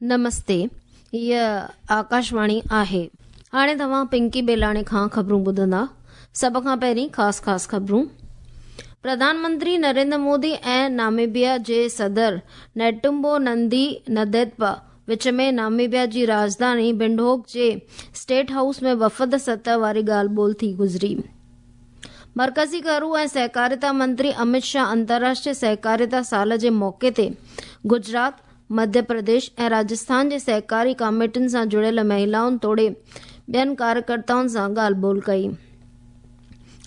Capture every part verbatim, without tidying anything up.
نمستي، هيء آڪاشواڻي آهي. هاڻي توهان پنڪي بيلاڻي کان خبرون ٻڌندا. سڀ کان پهرين خاص خاص خبرون. پرڌان منتري نريندر مودي ۽ ناميبيا جي صدر نيٽمبو نندي نديتوا وچ ۾ ناميبيا جي راڄڌاني ونڊهوڪ جي اسٽيٽ هائوس ۾ وفد سطح واري ڳالهه ٻولهه ٿي گذري. مرڪزي گهرو ۽ سهڪاريتا منتري امت شاهه انترراشٽريه سهڪاريتا سال جي موقعي تي گجرات، مڌيه پرديش ۽ راجسٿان جي سهڪاري ڪاميٽين سان جڙيل مهلائن توڙي ٻين ڪاريڪرتائن سان ڳالهه ٻولهه ڪئي.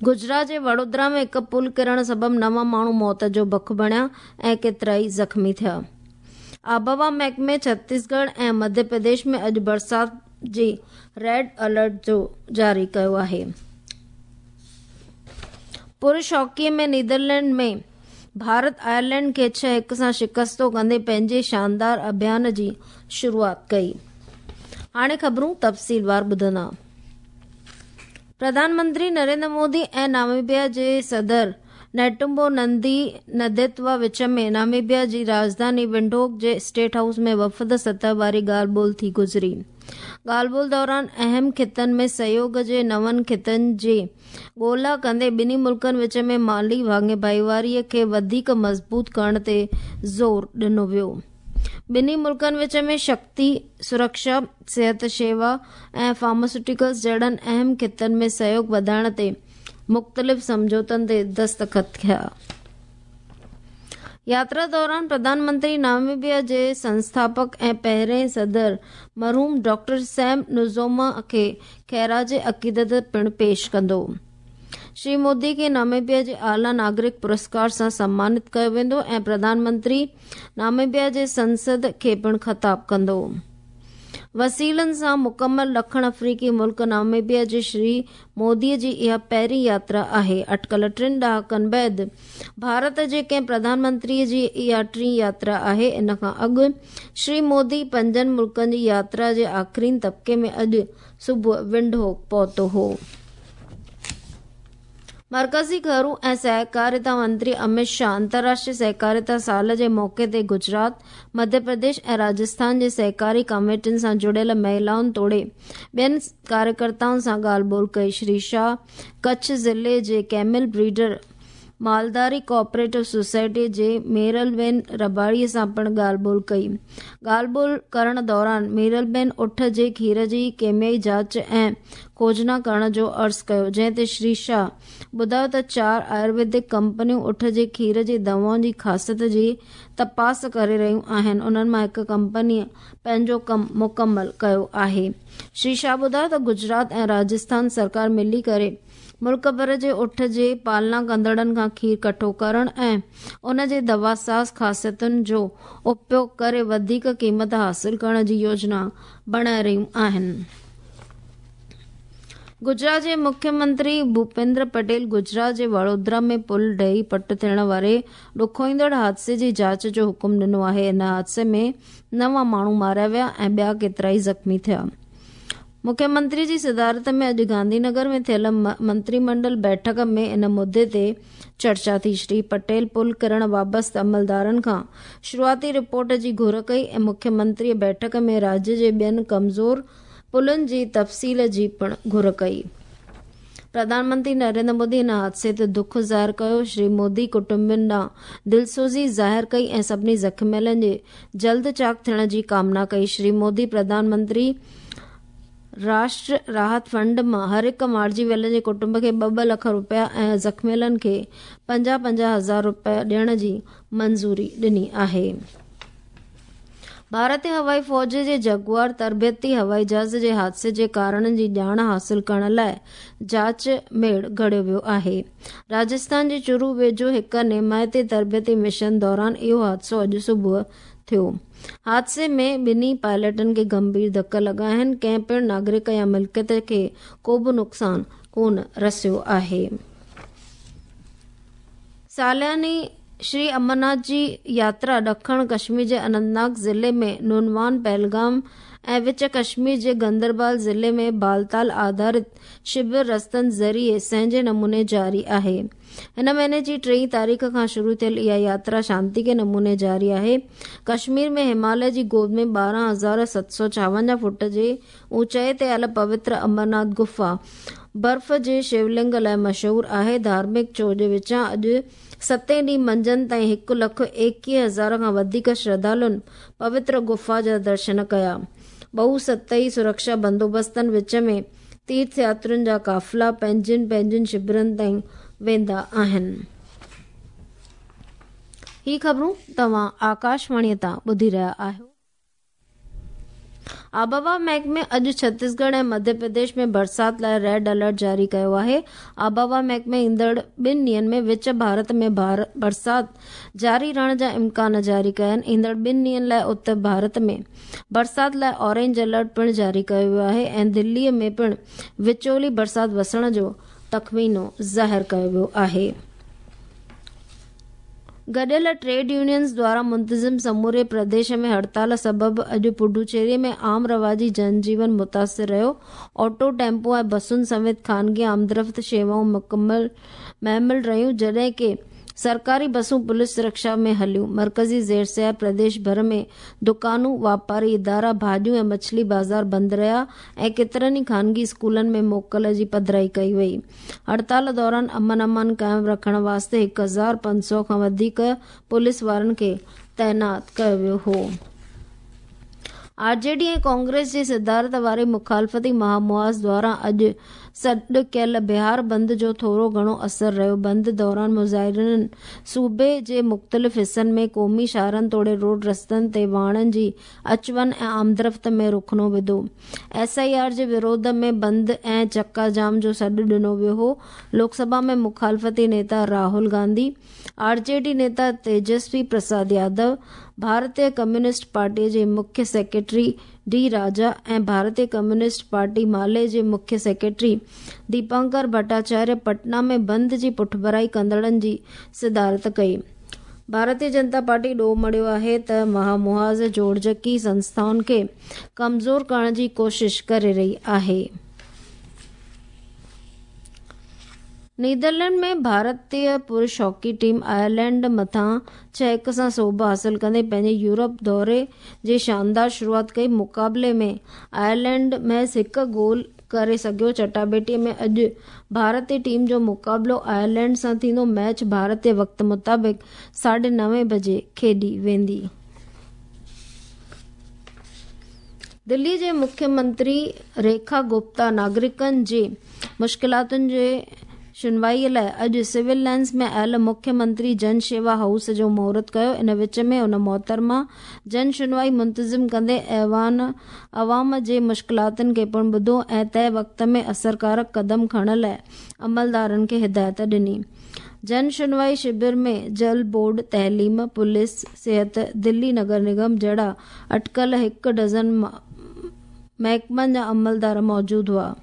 گجرات جي وڙودرا ۾ هڪ پل ڪرڻ سبب نو ماڻهو موت جو بک بڻيا ۽ ڪيترائي زخمي ٿيا. آبهوا محڪمي ڇتيسڳڙهه ۽ مڌيه پرديش ۾ اڄ برسات جي ريڊ الرٽ جو جاري ڪيو آهي. پرش هاڪي ۾ نيدرلينڊ ۾ ڀارت آئرلينڊ کي ڇهه هڪ سان شڪستو ڪندي پنهنجي شاندار اڀيان جي شروعات ڪئي. هاڻي خبرون تفصيلوار ٻڌندا. پرڌان منتري نريندر مودي ۽ ناميبيا جي صدر نيٽمبو نندي نديتوا وچ ۾ ناميبيا جي راڄڌاني ونڊهوڪ جي اسٽيٽ هائوس ۾ وفد سطح واري ڳالهه ٻولهه ٿي گذري. ڳالهه ٻولهه دوران اهم خطن ۾ سهيوڳ جي نون خطن جي ڳولا ڪندي ٻنهي ملڪن وچ ۾ مالي ڀاڱيواريء کي وڌيڪ مضبوط ڪرڻ تي زور ڏنو ويو. ٻنهي ملڪن وچ ۾ شڪتي، سرڪشا، صحت شيوا ۽ فارماسيوٽيڪلز جهڙن اهم خطن ۾ سهيوڳ وڌائڻ تي مختلف سمجهوتن تي دستخط ٿيا. ياترا دوران پرڌان منتري ناميبيا جي سنسٿاپڪ ۽ پهرئين صدر مرحوم ڊاڪٽر سيم نوجوما کي خراج عقيدت پڻ پيش ڪندو. شري مودي کي ناميبيا جي اعليٰ ناگرڪ پرسڪار سان سمانت ڪيو ويندو ۽ پرڌان منتري ناميبيا جي سنسد کي پڻ خطاب ڪندو. وسيلن سان مڪمل ڏکڻ آفريڪي ملڪ ناميبيا جي شري مودي جي اها پهرين ياترا آهي. اٽڪل ٽن ڏهاڪن بعد ڀارت جي ڪنهن پرڌان منتري جي اها ٽين ياترا آهي. ان کان اڳ شري مودي پنجن ملڪن جي ياترا جي آخرين طبقي ۾ اڄ صبح ونڊهوڪ پهتو هو. مرڪزي گهرو ۽ سهڪاريتا منتري امت شاهه انترراشٽريه سهڪاريتا سال جي موقعي تي گجرات، مڌيه پرديش ۽ راجسٿان جي سهڪاري ڪاميٽين سان جڙيل مهلائن توڙي ٻين ڪاريڪرتائن سان ڳالهه ٻولهه ڪئي. شري شاهه ڪڇ ضلعي جي ڪيمل بريڊر مالداري ڪوآپريٽو سوسائٽي جي ميرلبين رباڙي سان پڻ ڳالهه ٻولهه ڪئي. ڳالهه ٻولهه ڪرڻ دوران ميرلبين اٺ جي کير جي ڪيميائي جاچ ۽ کوجنا ڪرڻ جو عرض ڪيو، جنهن تي شري شاهه ٻڌايو ته چار آيورويدڪ ڪمپنيون اٺ جي کير جي دوائن جي خاصيت جي تپاس ڪري رهيون آهن، انهن مان هڪ ڪمپنيء پنهنجو ڪم مڪمل ڪيو آهي. شري شاهه ٻڌايو ته گجرات ۽ راجسٿان سرڪار ملي ڪري ملڪ ڀر جي اٺ جي پالنا ڪندڙن کان کير ڪٺو ڪرڻ ۽ ان جي دواساز خاصيتن جو اپيوگ ڪري وڌيڪ قيمت حاصل ڪرڻ جي يوجنا بڻائي رهيون آهن. گجرات جي مکيه منتري ڀوپيندر پٽيل گجرات جي وڙودرا ۾ پل ڊهي پٽ ٿيڻ واري ڏکوئيندڙ حادثي جي جاچ جو حڪم ڏنو آهي. ان حادثي ۾ نو ماڻهو ماريا ويا ۽ ٻيا ڪيترائي زخمي ٿيا. مکيه منتري جي صدارت ۾ اڄ گانڌي نگر ۾ ٿيل منتري منڊل بيٺڪ ۾ ان مدعي تي چرچا ٿي. شري پٽيل پل ڪرڻ وابسته عملدارن کان شروعاتي رپورٽ جي گهر ڪئي ۽ مکيه منتري بيٺڪ ۾ راجيه جي ٻين ڪمزور پلن جي تفصيل جي پڻ گهر ڪئي. پرڌان منتري نريندر مودي ان حادثي تي دک ظاهر ڪيو. شري مودي ڪٽنبن ڏانهن دلسوزي ظاهر ڪئي ۽ سڀني زخميلن جي جلد چاڪ ٿيڻ جي ڪامنا ڪئي. شري مودي پرڌان منتري راشٽر راحت فنڊ مان هر هڪ مارجي ويل جي ڪٽنب کي ٻه ٻه لک رپيا ۽ زخميلن کي پنجاهه پنجاهه هزار رپيا ڏيڻ جي منظوري ڏني آهي. ڀارتي هوائي فوج جي جگوار تربيتي هوائي جهاز جي حادثي جي ڪارڻن جي ڄاڻ حاصل ڪرڻ لاءِ جاچ ميڙ گهڙيو ويو آهي. راجسٿان جي چورو ويجهو هڪ نمائتي تربيتي مشن دوران اهو حادثو اڄ صبح ٿيو. حادثي ۾ ٻنهي پائلٽن کي گنڀير ڌڪ لڳا آهن. ڪنهن پڻ ناگرڪ يا ملڪيت کي ڪو به نقصان ڪونه رسيو آهي. سالياني श्री अमरनाथ जी यात्रा ॾखण कश्मीर जे अनंतनाग ज़िले में नुनवान पहलगाम ऐं विच कश्मीर जे गंदरबाल ज़िले में बालताल आधारित शिविर रस्तनि ज़रिए संहिजे नमूने जारी आहे। हिन महीने जी टेहीं तारीख़ खां शुरू थियल इहा यात्रा शांति के नमूने जारी आहे। कश्मीर में हिमालय जी गोद में ॿारहं हज़ार सत सौ छावंजाह फुट जे ऊंचाई ते आयल पवित्र अमरनाथ गुफा बर्फ़ जे शिवलिंग लाइ मशहूर आहे। धार्मिक चोज विचां अॼु सतें ॾींहुं मंझंदि ताईं हिकु लख एकवीह हज़ार खां वधीक श्रद्धालुनि पवित्र गुफा जा दर्शन कया। बहु सतही सुरक्षा बंदोबस्तनि विच में तीर्थ यात्रियुनि जा काफ़िला पंहिंजनि पंहिंजनि शिविरनि ताईं वेंदा आहिनि। ही ख़बरूं तव्हां आकाशवाणीअ तां ॿुधी रहिया आहियो। आबहवा महकमे अॼु छत्तीसगढ़ ऐं मध्य प्रदेश में बरसात लाइ रेड अलर्ट जारी कयो आहे। आबहवा महकमे ईंदड़ ॿिनि ॾींहंनि में विच भारत में बरसात जारी रहण जा इम्कान जारी कया आहिनि। ईंदड़ ॿिनि ॾींहंनि लाइ उत्तर भारत में बरसात लाइ ऑरेंज अलर्ट पिणु जारी कयो वियो आहे ऐं दिल्लीअ में पिणु विचोली बरसात वसण जो तख़मीनो ज़ाहिर कयो वियो आहे। गॾियल ट्रेड यूनियंस द्वारा मुंतज़िम समूरे प्रदेश में हड़ताल सबबु अॼु पुडुचेरी में आम रवाजी जनजीवन मुतासिर रहियो। ऑटो, टेम्पो ऐं बसुनि समेत ख़ानगी आमदरफ़्त शेवाऊं मुकमल महमल रहियूं, जॾहिं की सरकारी बसूं पुलिस सुरक्षा में हलियूं। मर्कज़ी ज़ेर प्रदेश भर में दुकानूं, वापारी इदारा, भाॼियूं ऐं मछली बाज़ार बंदि रहिया ऐं केतिरनि ई ख़ानगी स्कूलनि में मोकल जी पधराई कई वई। हड़ताल दौरान अमन अमान क़ाइमु रखण वास्ते हिकु हज़ार पंज सौ खां वधीक पुलिस वारनि खे तैनात कयो वियो हो। आरजेडी ऐं कांग्रेस जी सदारत वारे मुखालफ़ती महामुआज़ द्वारा अॼु सॾु कयल बिहार बंद जो थोरो घणो असर रहियो। बंद दौरान मुज़ाहिरनि सूबे जे मुख़्तलिफ़ हिसनि में क़ौमी शाहरनि तोड़े रोड रस्तनि ते वाहणनि जी अच वञ ऐं आमदरफ़्त में रुखणो विधो। एस I R जे विरोध में बंद ऐं चक्का जाम जो सॾु ॾिनो वियो हो। लोकसभा में मुखालफ़ती नेता राहुल गांधी, आरजेडी नेता तेजस्वी प्रसाद यादव, भारतीय कम्युनिस्ट पार्टीअ जे मुख्य सेक्रेटरी डी राजा ऐं भारतीय कम्युनिस्ट पार्टी माले जे मुख्य सेक्रेटरी दीपांकर भट्टाचार्य पटना में बंद जी पुठभराई कंदड़नि जी सदारत कई। भारतीय जनता पार्टी ॾोह मढ़ियो आहे त महामुहाज़ जोड़जकी संस्थाउनि खे कमज़ोर करण जी कोशिश करे रही आहे। नीदरलैंड में भारतीय पुरुष हॉकी टीम आयरलैंड मथां छह हिकु सां सोभ हासिल कंदे पंहिंजे यूरोप दौरे जी शानदार शुरूआत कई। मुक़ाबले में आयरलैंड महज़ हिकु गोल करे सघियो। चटाबेटीअ में अॼु भारतीय टीम जो मुक़ाबिलो आयरलैंड सां थींदो। मैच भारतीय वक़्त मुताबिक़ साढे नवे बजे खेॾी वेंदी। दिल्ली जे मुख्यमंत्री रेखा गुप्ता नागरिकनि जे मुश्किलातुनि जे सुनवाईअ लाइ अॼु सिविल लाइंस में आयल मुख्यमंत्री जन शेवा हाउस जो मुहूर्त कयो। इन विच में हुन मोहतरमा जन सुनवाई मुंतज़िम कंदे ऐवान अवाम जे मुश्किलातुनि खे पिणु ॿुधो ऐं तय वक़्त में असरकारक कदम खणण लाइ अमलदारनि खे हिदायत ॾिनी। जन सुनवाई शिविर में जल बोर्ड, तइलीम, पुलिस, सिहत, दिल्ली नगर निगम जहिड़ा अटकल हिकु डज़न महकमनि जा अमलदार मौजूदु हुआ।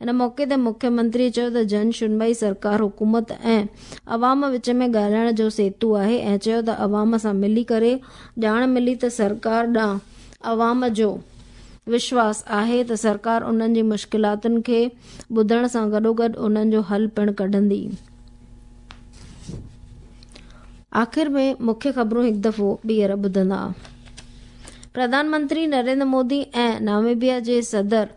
इन मौक़े ते मुख्यमंत्री चयो त जन सुनवाई सरकार, हुकूमत ऐं अवाम विच में ॻाल्हाइण जो सेतु आहे ऐं चयो त अवाम सां मिली करे ॼाण मिली त सरकार ॾांहुं अवाम जो विश्वास आहे त सरकार उन्हनि जी मुश्किलातुनि खे ॿुधण सां गॾोगॾु उन्हनि जो हल पिणु कढंदी। आख़िर में मुख्य ख़बरूं हिकु दफ़ो ॿीहर ॿुधंदा। प्रधानमंत्री नरेंद्र मोदी ऐं नामीबिया जे सदर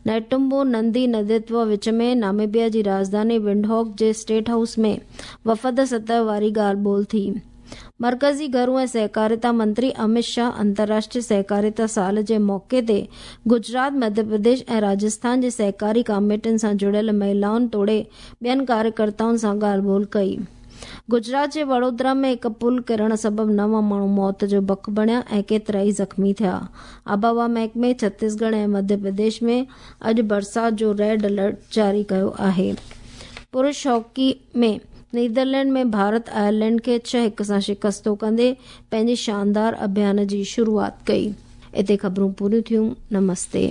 नेटुम्बो नंदी नदित्व विच में नामीबिया जी राजधानी विंडहॉक जे स्टेट हाउस में वफ़द सतह वारी ॻाल्हि ॿोल थी। मर्कज़ी घरू ऐं सहकारिता मंत्री अमित शाह अंतर्राष्ट्रीय सहकारिता साल जे मौक़े ते गुजरात, मध्य प्रदेश ऐं राजस्थान जे सहकारी कमेटियुनि सां जुड़ियल महिलाउनि तोड़े ॿियनि कार्यकर्ताउनि सां ॻाल्हि ॿोल कई। गुजरात जे वडोदरा में हिकु पुल किरण सबबु नव माण्हू मौत जो बक बणिया ऐं केतिरा ई ज़ख़्मी थिया। आबहवा महकमे छत्तीसगढ़ ऐं मध्य प्रदेश में अॼु बरसात जो रेड अलर्ट जारी कयो आहे। पुरुष हॉकी में नीदरलैंड में भारत आयरलैंड खे छह हिकु सां शिकस्तो कंदे पंहिंजे शानदार अभियान जी शुरूआत कई। हिते ख़बरूं पूरियूं थियूं। नमस्ते।